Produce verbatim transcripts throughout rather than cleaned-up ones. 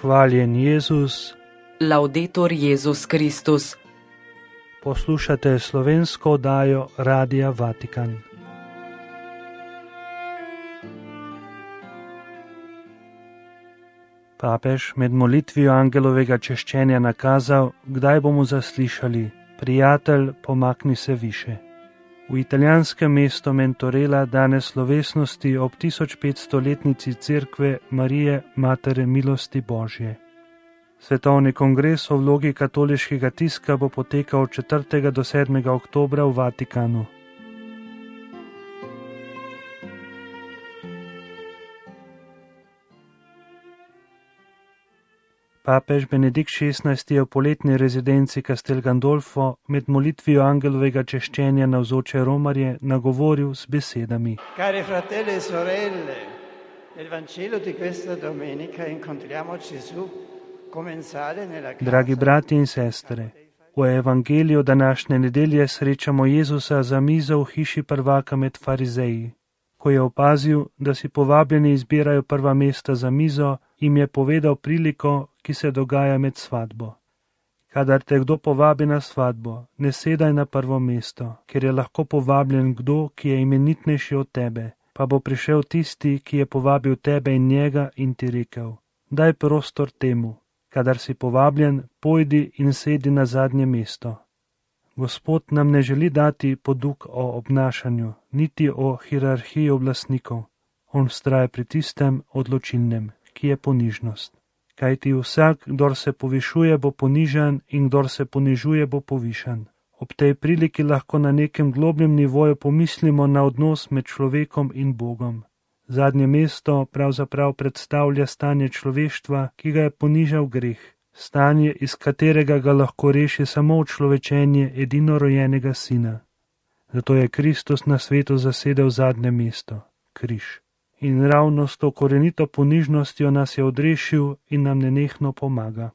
Hvaljen Jezus. Laudetur Jezus Kristus. Poslušate slovensko oddajo Radia Vatikan. Papež med molitvijo angelovega češčenja nakazal, kdaj bomo zaslišali: prijatelj, pomakni se više. V italijanskem mestu Mentorela danes slovesnosti ob tisoč petstoletnici cerkve Marije Matere milosti Božje. Svetovni kongres o vlogi katoliškega tiska bo potekal od četrtega do sedmega oktobra v Vatikanu. Papež Benedikt šestnajsti je v poletni rezidenci Castel Gandolfo med molitvijo angelovega češčenja navzoče romarje nagovoril z besedami: Cari fratelli e sorelle, nel Vangelo di questa domenica incontriamo Gesù commensale nella casa. Dragi brati in sestre, v evangeliju današnje nedelje srečamo Jezusa za mizo v hiši prvaka med farizeji. Ko je opazil, da si povabljeni izbirajo prva mesta za mizo, jim je povedal priliko, ki se dogaja med svatbo. Kadar te kdo povabi na svatbo, ne sedaj na prvo mesto, ker je lahko povabljen kdo, ki je imenitnejši od tebe, pa bo prišel tisti, ki je povabil tebe in njega in ti rekel: daj prostor temu. Kadar si povabljen, pojdi in sedi na zadnje mesto. Gospod nam ne želi dati poduk o obnašanju, niti o hierarhiji oblastnikov. On vztraja pri tistem odločilnem, ki je ponižnost. Kajti vsak, kdor se povišuje, bo ponižan, in kdor se ponižuje, bo povišan. Ob tej priliki lahko na nekem globljem nivoju pomislimo na odnos med človekom in Bogom. Zadnje mesto pravzaprav predstavlja stanje človeštva, ki ga je ponižal greh. Stanje, iz katerega ga lahko reši samo učlovečenje edinorojenega sina. Zato je Kristus na svetu zasedel zadnje mesto, križ. In ravno s to korenito ponižnostjo nas je odrešil in nam nenehno pomaga.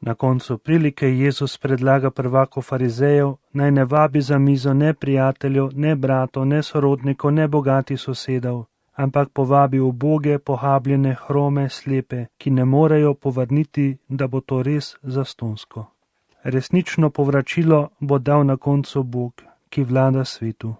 Na koncu prilike Jezus predlaga prvaku farizejev, naj ne vabi za mizo ne prijateljev, ne bratov, ne sorodnikov, ne bogatih sosedov, ampak povabi uboge, pohabljene, hrome, slepe, ki ne morejo povrniti, da bo to res zastonsko. Resnično povračilo bo dal na koncu Bog, ki vlada svetu.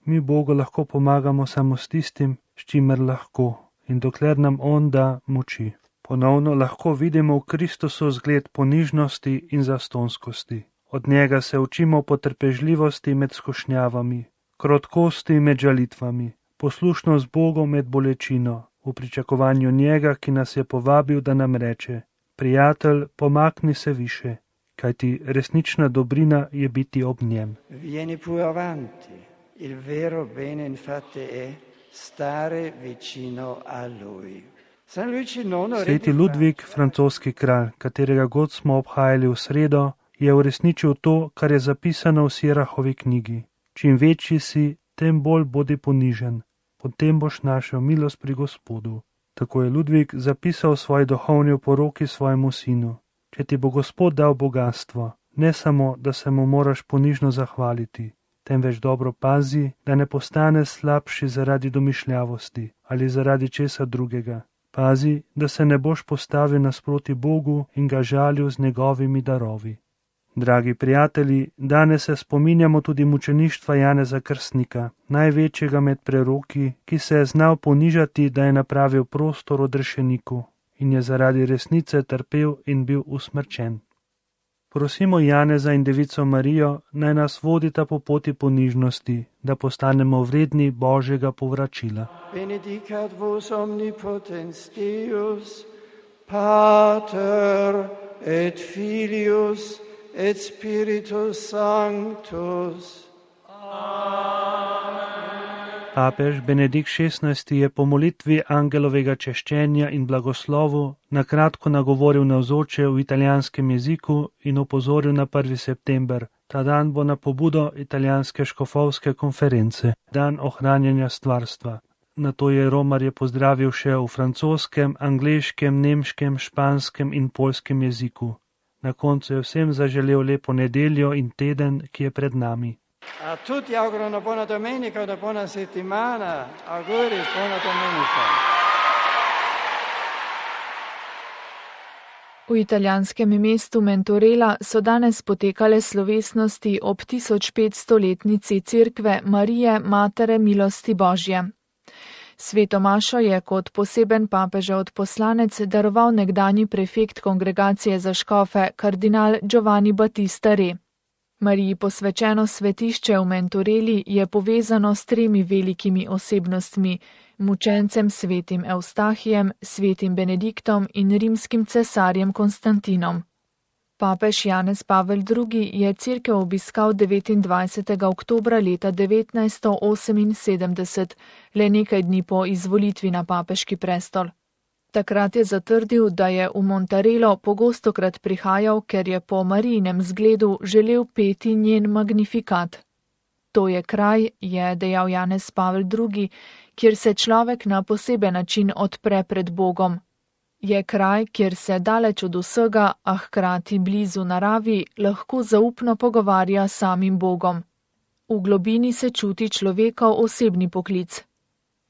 Mi Bogu lahko pomagamo samo s tistim, s čimer lahko, in dokler nam On da moči. Ponovno lahko vidimo v Kristusu zgled ponižnosti in zastonskosti. Od njega se učimo potrpežljivosti med skušnjavami, krotkosti med žalitvami, poslušnost Bogu med bolečino, v pričakovanju njega, ki nas je povabil, da nam reče: prijatelj, pomakni se više, kajti resnična dobrina je biti ob njem. Vieni pure avanti. Il vero bene infatti è stare vicino a lui. San Luigi nono Sveti Ludvik, francoski kralj, katerega god smo obhajali v sredo, je uresničil to, kar je zapisano v Sirahovi knjigi. Čim večji si, tem bolj bodi ponižen, potem boš našel milost pri Gospodu. Tako je Ludvik zapisal v svoji duhovni oporoki svojemu sinu: če ti bo Gospod dal bogatstvo, ne samo, da se mu moraš ponižno zahvaliti, temveč dobro pazi, da ne postane slabši zaradi domišljavosti ali zaradi česa drugega. Pazi, da se ne boš postavil nasproti Bogu in ga žalil z njegovimi darovi. Dragi prijatelji, danes se spominjamo tudi mučeništva Janeza Krstnika, največjega med preroki, ki se je znal ponižati, da je napravil prostor odrešeniku in je zaradi resnice trpel in bil usmrčen. Prosimo Janeza in Devico Marijo, naj nas vodita po poti ponižnosti, da postanemo vredni Božjega povračila. Benedicat vos omnipotens Deus, Pater et Filius et Spiritus Sanctus. Papež Benedikt šestnajsti je po molitvi angelovega češčenja in blagoslovu na kratko nagovoril navzoče v italijanskem jeziku in opozoril na prvi september. Ta dan bo na pobudo italijanske škofovske konference, dan ohranjanja stvarstva. Nato je romarje pozdravil še v francoskem, angleškem, nemškem, španskem in poljskem jeziku. Na koncu je vsem zaželel lepo nedeljo in teden, ki je pred nami. A tutti auguro una buona domenica, una buona settimana. Auguri, buona domenica. V italijanskem mestu Mentorela so danes potekale slovesnosti ob tisoč petstoletnici cerkve Marije Matere milosti Božje. Sveto mašo je kot poseben papežev odposlanec daroval nekdanji prefekt kongregacije za škofe kardinal Giovanni Battista Re. Mariji posvečeno svetišče v Mentoreli je povezano s tremi velikimi osebnostmi, mučencem svetim Evstahijem, svetim Benediktom in rimskim cesarjem Konstantinom. Papež Janez Pavel drugi. je cerkev obiskal devetindvajsetega oktobra leta devetnajststo oseminsedemdeset, le nekaj dni po izvolitvi na papeški prestol. Takrat je zatrdil, da je v Montarelo pogostokrat prihajal, ker je po Marijinem zgledu želel peti njen magnifikat. To je kraj, je dejal Janez Pavel drugi., kjer se človek na poseben način odpre pred Bogom. Je kraj, kjer se daleč od vsega, a hkrati blizu naravi, lahko zaupno pogovarja s samim Bogom. V globini se čuti človekov osebni poklic.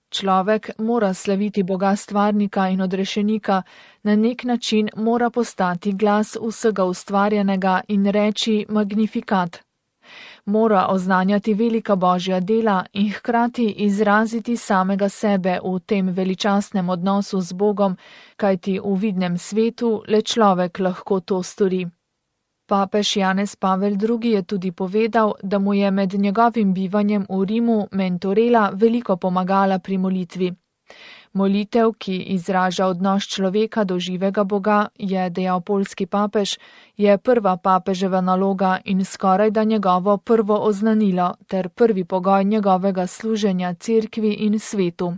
Človek mora slaviti Boga stvarnika in odrešenika, na nek način mora postati glas vsega ustvarjenega in reči magnifikat. Mora oznanjati velika Božja dela in hkrati izraziti samega sebe v tem veličastnem odnosu z Bogom, kajti v vidnem svetu le človek lahko to stori. Papež Janez Pavel drugi. je tudi povedal, da mu je med njegovim bivanjem v Rimu Mentorela veliko pomagala pri molitvi. Molitev, ki izraža odnos človeka do živega Boga, je dejal poljski papež, je prva papeževa naloga in skoraj da njegovo prvo oznanilo ter prvi pogoj njegovega služenja cerkvi in svetu.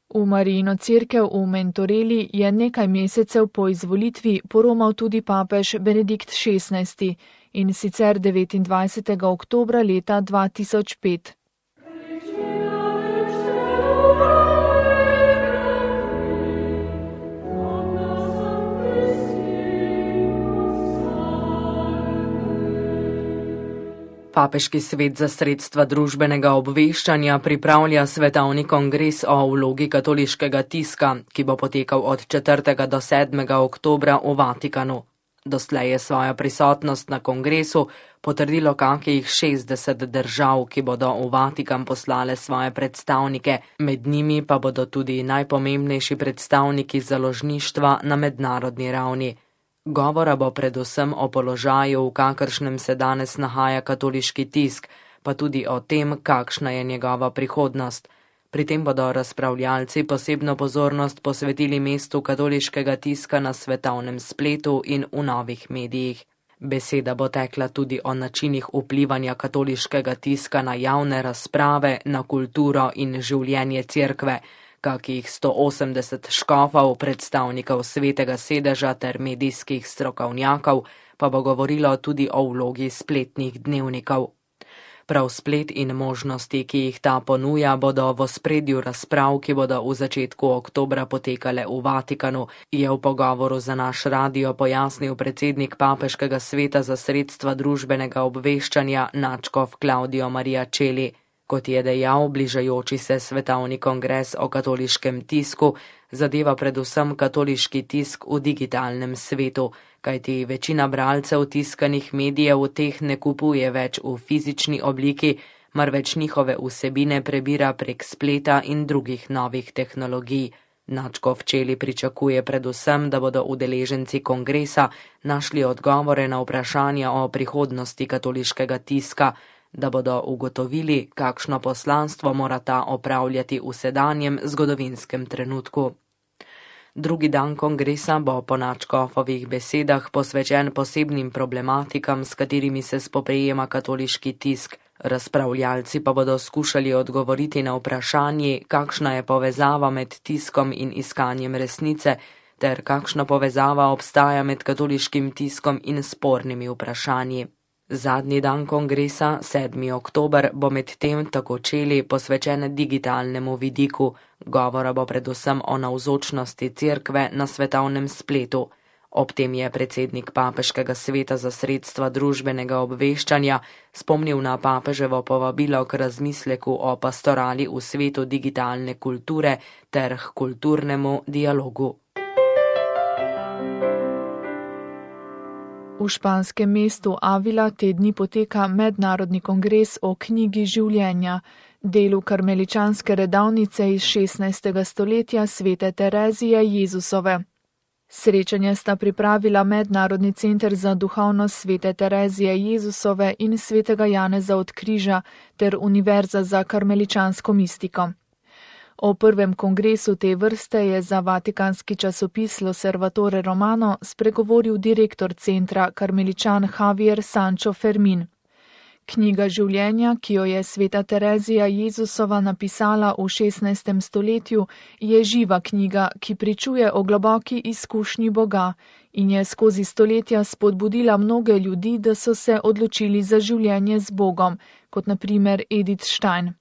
V Marijino cerkev v Mentoreli je nekaj mesecev po izvolitvi poromal tudi papež Benedikt šestnajsti. in sicer devetindvajsetega oktobra leta dva tisoč pet. Papeški svet za sredstva družbenega obveščanja pripravlja svetovni kongres o vlogi katoliškega tiska, ki bo potekal od četrtega do sedmega oktobra v Vatikanu. Doslej je svojo prisotnost na kongresu potrdilo kakih šestdeset držav, ki bodo v Vatikan poslale svoje predstavnike, med njimi pa bodo tudi najpomembnejši predstavniki založništva na mednarodni ravni. Govora bo predvsem o položaju, v kakršnem se danes nahaja katoliški tisk, pa tudi o tem, kakšna je njegova prihodnost. Pri tem bodo razpravljalci posebno pozornost posvetili mestu katoliškega tiska na svetovnem spletu in v novih medijih. Beseda bo tekla tudi o načinih vplivanja katoliškega tiska na javne razprave, na kulturo in življenje cerkve, kakih sto osemdeset škofov, predstavnikov svetega sedeža ter medijskih strokovnjakov, pa bo govorilo tudi o vlogi spletnih dnevnikov. Prav splet in možnosti, ki jih ta ponuja, bodo v ospredju razprav, ki bodo v začetku oktobra potekale v Vatikanu, je v pogovoru za naš radio pojasnil predsednik Papeškega sveta za sredstva družbenega obveščanja nadškof Claudio Maria Celli. Kot je dejal, bližajoči se svetovni kongres o katoliškem tisku zadeva predvsem katoliški tisk v digitalnem svetu, kajti večina bralcev tiskanih medijev teh ne kupuje več v fizični obliki, marveč njihove vsebine prebira prek spleta in drugih novih tehnologij. Nadškof Celli pričakuje predvsem, da bodo udeleženci kongresa našli odgovore na vprašanja o prihodnosti katoliškega tiska, da bodo ugotovili, kakšno poslanstvo mora ta opravljati v sedanjem zgodovinskem trenutku. Drugi dan kongresa bo po nadškofovih besedah posvečen posebnim problematikam, s katerimi se spoprijema katoliški tisk. Razpravljalci pa bodo skušali odgovoriti na vprašanje, kakšna je povezava med tiskom in iskanjem resnice, ter kakšna povezava obstaja med katoliškim tiskom in spornimi vprašanji. Zadnji dan kongresa, sedmi oktober, bo med tem tako Celli posvečen digitalnemu vidiku. Govora bo predvsem o navzočnosti cerkve na svetovnem spletu. Ob tem je predsednik Papeškega sveta za sredstva družbenega obveščanja spomnil na papeževo povabilo k razmisleku o pastorali v svetu digitalne kulture ter k kulturnemu dialogu. španskem mestu Avila te dni poteka mednarodni kongres o knjigi življenja, delu karmeličanske redavnice iz šestnajstega stoletja svete Terezije Jezusove. Srečanje sta pripravila Mednarodni center za duhovnost svete Terezije Jezusove in svetega Janeza od Križa ter Univerza za karmeličansko mistiko. O prvem kongresu te vrste je za vatikanski časopis L'Osservatore Romano spregovoril direktor centra karmeličan Javier Sancho Fermin. Knjiga življenja, ki jo je sveta Terezija Jezusova napisala v šestnajstem stoletju, je živa knjiga, ki pričuje o globoki izkušnji Boga in je skozi stoletja spodbudila mnoge ljudi, da so se odločili za življenje z Bogom, kot na primer Edith Stein.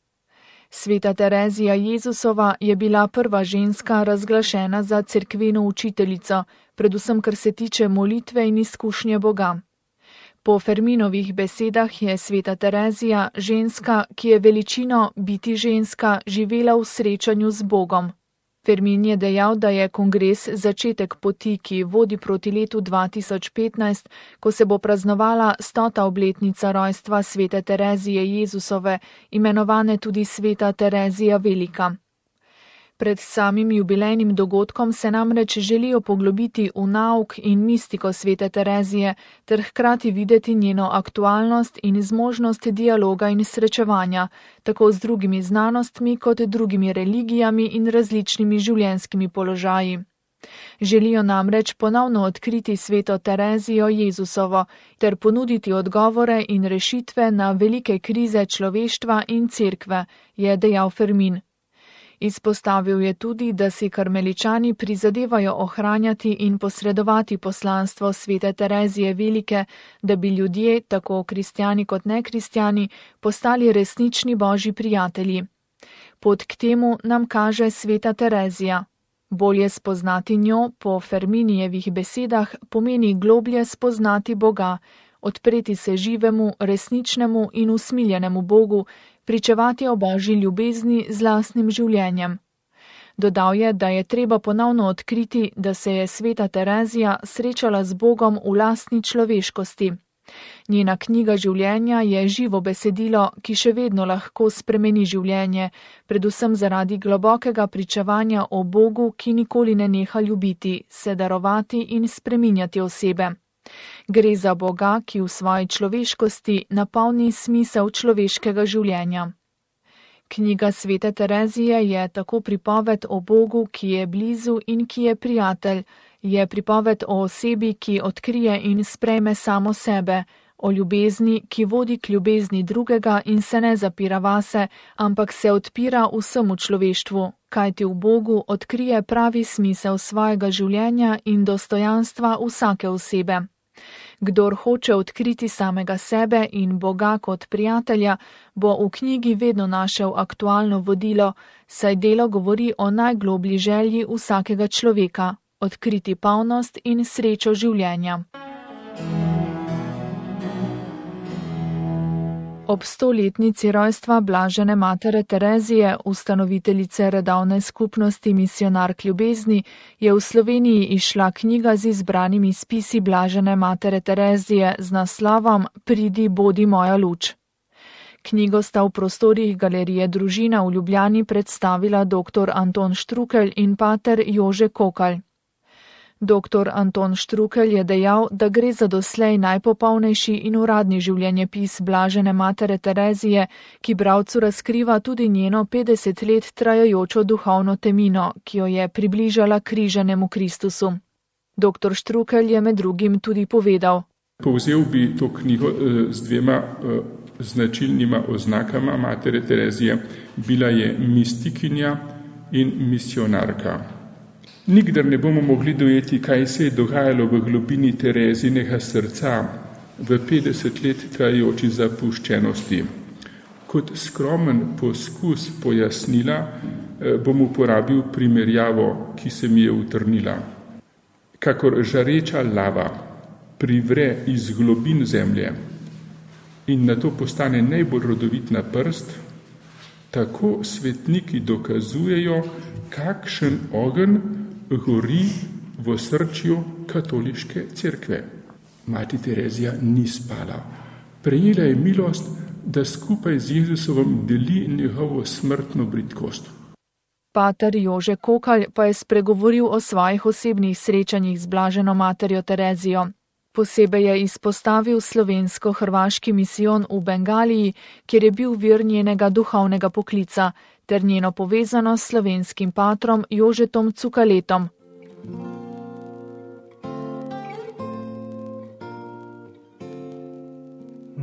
Sveta Terezija Jezusova je bila prva ženska razglašena za cerkveno učiteljico, predvsem kar se tiče molitve in izkušnje Boga. Po Ferminovih besedah je sveta Terezija ženska, ki je veličino biti ženska živela v srečanju z Bogom. Fermin je dejal, da je kongres začetek poti, ki vodi proti letu dva tisoč petnajst, ko se bo praznovala stota obletnica rojstva svete Terezije Jezusove, imenovane tudi sveta Terezija Velika. Pred samim jubilejnim dogodkom se namreč želijo poglobiti v nauk in mistiko svete Terezije ter hkrati videti njeno aktualnost in zmožnost dialoga in srečevanja, tako z drugimi znanostmi kot drugimi religijami in različnimi življenjskimi položaji. Želijo namreč ponovno odkriti sveto Terezijo Jezusovo ter ponuditi odgovore in rešitve na velike krize človeštva in cerkve, je dejal Fermin. Izpostavil je tudi, da si karmeličani prizadevajo ohranjati in posredovati poslanstvo svete Terezije Velike, da bi ljudje, tako kristjani kot nekristjani, postali resnični božji prijatelji. Pot k temu nam kaže sveta Terezija. Bolje spoznati njo, po Ferminijevih besedah, pomeni globlje spoznati Boga, odpreti se živemu, resničnemu in usmiljenemu Bogu, pričevati o božji ljubezni z lastnim življenjem. Dodal je, da je treba ponovno odkriti, da se je sveta Terezija srečala z Bogom v lastni človeškosti. Njena knjiga življenja je živo besedilo, ki še vedno lahko spremeni življenje, predvsem zaradi globokega pričevanja o Bogu, ki nikoli ne neha ljubiti, se darovati in spreminjati osebe. Gre za Boga, ki v svoji človeškosti napolni smisel človeškega življenja. Knjiga svete Terezije je tako pripoved o Bogu, ki je blizu in ki je prijatelj, je pripoved o osebi, ki odkrije in sprejme samo sebe, o ljubezni, ki vodi k ljubezni drugega in se ne zapira vase, ampak se odpira vsemu človeštvu, kajti v Bogu odkrije pravi smisel svojega življenja in dostojanstva vsake osebe. Kdor hoče odkriti samega sebe in Boga kot prijatelja, bo v knjigi vedno našel aktualno vodilo, saj delo govori o najgloblji želji vsakega človeka, odkriti polnost in srečo življenja. Ob stoletnici rojstva blažene matere Terezije, ustanoviteljice redovne skupnosti Misionark ljubezni, je v Sloveniji izšla knjiga z izbranimi spisi blažene matere Terezije z naslovom Pridi, bodi moja luč. Knjigo sta v prostorih Galerije Družina v Ljubljani predstavila dr. Anton Štrukelj in pater Jože Kokalj. Doktor Anton Štrukelj je dejal, da gre za doslej najpopolnejši in uradni življenjepis blažene matere Terezije, ki bralcu razkriva tudi njeno petdeset let trajajočo duhovno temino, ki jo je približala križanemu Kristusu. Doktor Štrukelj je med drugim tudi povedal: Povzel bi to knjigo z dvema značilnima oznakama matere Terezije. Bila je mistikinja in misionarka. Nikdar ne bomo mogli dojeti, kaj se je dogajalo v globini Terezinega srca v petdeset let trajajoči zapuščenosti. Kot skromen poskus pojasnila bom uporabil primerjavo, ki se mi je utrnila. Kakor žareča lava privre iz globin zemlje in nato postane najbolj rodovitna prst, tako svetniki dokazujejo, kakšen ogenj gori v osrčju katoliške cerkve. mati Terezija ni spala. Prejela je milost, da skupaj z Jezusovom deli njegovo smrtno bridkost. Pater Jože Kokalj pa je spregovoril o svojih osebnih srečanjih z blaženo materjo Terezijo. Posebej je izpostavil slovensko-hrvaški misijon v Bengaliji, kjer je bil vir njenega duhovnega poklica, ter njeno povezanost s slovenskim patrom Jožetom Cukaletom.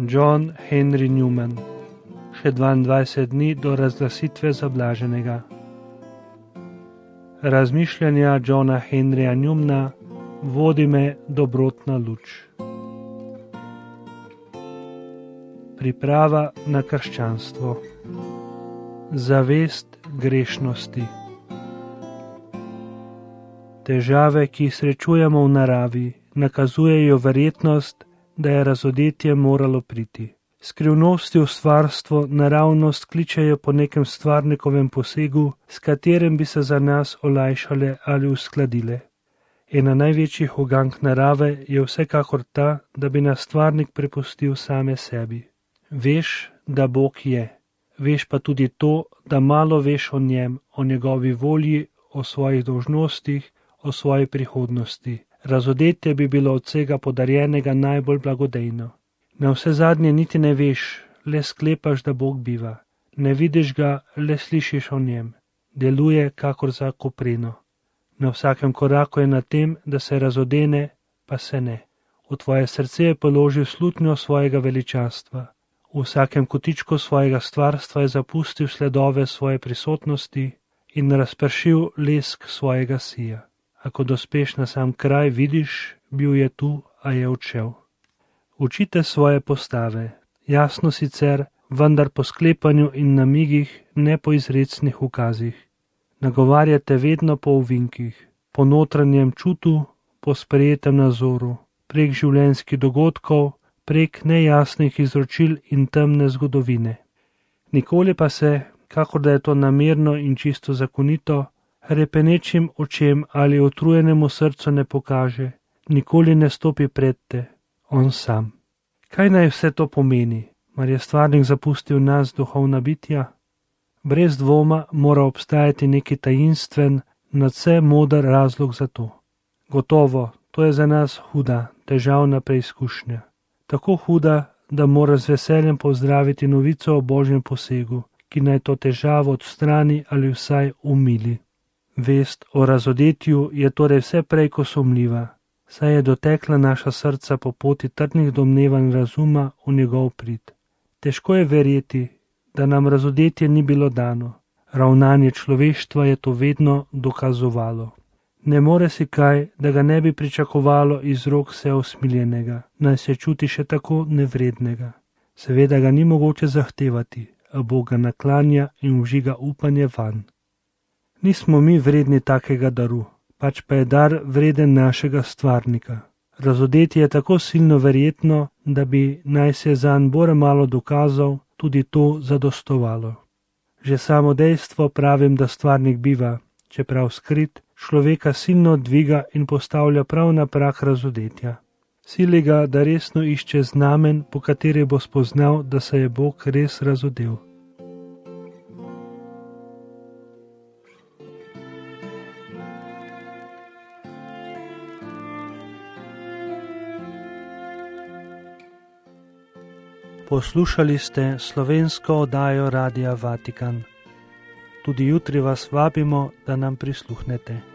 John Henry Newman. Še dvaindvajset dni do razglasitve za blaženega. Razmišljanja Johna Henryja Newmana vodi me dobrotna luč. Priprava na krščanstvo. Zavest grešnosti. Težave, ki jih srečujemo v naravi, nakazujejo verjetnost, da je razodetje moralo priti. Skrivnosti v stvarstvo naravnost kličejo po nekem stvarnikovem posegu, s katerim bi se za nas olajšale ali uskladile. Ena največjih ugank narave je vsekakor ta, da bi nas stvarnik prepustil same sebi. Veš, da Bog je. Veš pa tudi to, da malo veš o njem, o njegovi volji, o svojih dolžnostih, o svoji prihodnosti. Razodetje bi bilo od vsega podarjenega najbolj blagodejno. Na vse zadnje niti ne veš, le sklepaš, da Bog biva. Ne vidiš ga, le slišiš o njem. Deluje kakor za kopreno. Na vsakem koraku je na tem, da se razodene, pa se ne. V tvoje srce je položil slutnjo svojega veličastva. V vsakem kotičku svojega stvarstva je zapustil sledove svoje prisotnosti in razpršil lesk svojega sija. A ko dospeš na sam kraj, vidiš, bil je tu, a je odšel. Učite svoje postave, jasno sicer, vendar po sklepanju in namigih, ne po izrecnih ukazih. Nagovarjate vedno po ovinkih, po notranjem čutu, po sprejetem nazoru, prek življenjskih dogodkov, prek nejasnih izročil in temne zgodovine. Nikoli pa se, kakor da je to namerno in čisto zakonito, repenečim očem ali utrujenemu srcu ne pokaže, nikoli ne stopi pred te, on sam. Kaj naj vse to pomeni? Mar je stvarnik zapustil nas duhovna bitja? Brez dvoma mora obstajati neki tajinstven, nadvse moder razlog za to. Gotovo, to je za nas huda, težavna preizkušnja. Tako huda, da mora z veseljem pozdraviti novico o Božjem posegu, ki naj to težavo odstrani ali vsaj umili. Vest o razodetju je torej vse prej ko sumljiva, saj je dotekla naša srca po poti trdnih domnevanj razuma v njegov prid. Težko je verjeti, da nam razodetje ni bilo dano. Ravnanje človeštva je to vedno dokazovalo. Ne more si kaj, da ga ne bi pričakovalo iz rok vse usmiljenega, naj se čuti še tako nevrednega. Seveda ga ni mogoče zahtevati, a Bog ga naklanja in vžiga upanje vanj. Nismo mi vredni takega daru, pač pa je dar vreden našega stvarnika. Razodetje je tako silno verjetno, da bi naj se zanj bore malo dokazal, tudi to zadostovalo. Že samo dejstvo pravim, da stvarnik biva, čeprav skrit, človeka silno dviga in postavlja prav na prag razodetja. Sili ga, da resno išče znamen, po kateri bo spoznal, da se je Bog res razodel. Poslušali ste slovensko oddajo Radia Vatikan. Tudi jutri vas vabimo, da nam prisluhnete.